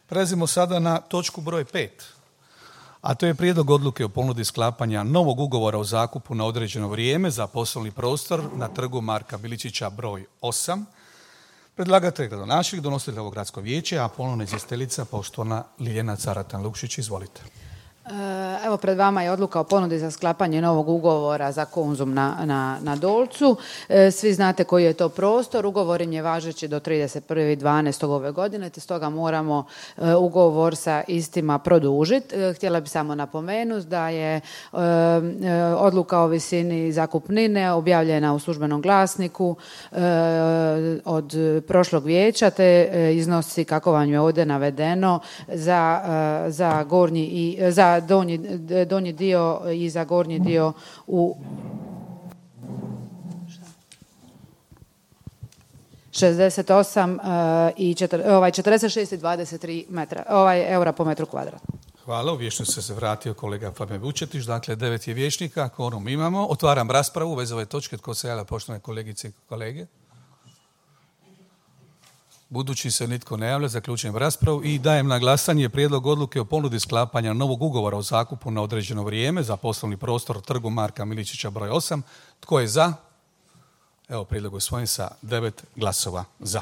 Prelazimo sada na točku broj 5, a to je prijedlog odluke o ponudi sklapanja novog ugovora o zakupu na određeno vrijeme za poslovni prostor na trgu Marka Miličića broj 8. Predlagatelj je gradonačelnik, donositelj ovog gradsko vijeće, a ponovna izvjestiteljica poštovana Ljiljana Caratan-Lukšić. Izvolite. Evo, pred vama je odluka o ponudi za sklapanje novog ugovora za Konzum na Dolcu. Svi znate koji je to prostor. Ugovor im je važeći do 31.12. ove godine, te stoga moramo ugovor sa istima produžiti. Htjela bih samo napomenuti da je odluka o visini zakupnine objavljena u službenom glasniku od prošlog vijeća, te iznosi, kako vam je ovdje navedeno, za gornji i za donji dio i za gornji dio u 68 i 46 i 23 eura po metru kvadratnom. Hvala, u vijećnicu se vratio kolega Fabijan Vučetić, dakle 9 je vijećnika, kvorum imamo. Otvaram raspravu bez ove točke. Tko se javlja, poštovane kolegice i kolege? Budući se nitko ne javlja, zaključujem raspravu i dajem na glasanje prijedlog odluke o ponudi sklapanja novog ugovora o zakupu na određeno vrijeme za poslovni prostor trgu Marka Miličića broj 8. Tko je za? Evo, prijedlog usvojen sa 9 glasova za.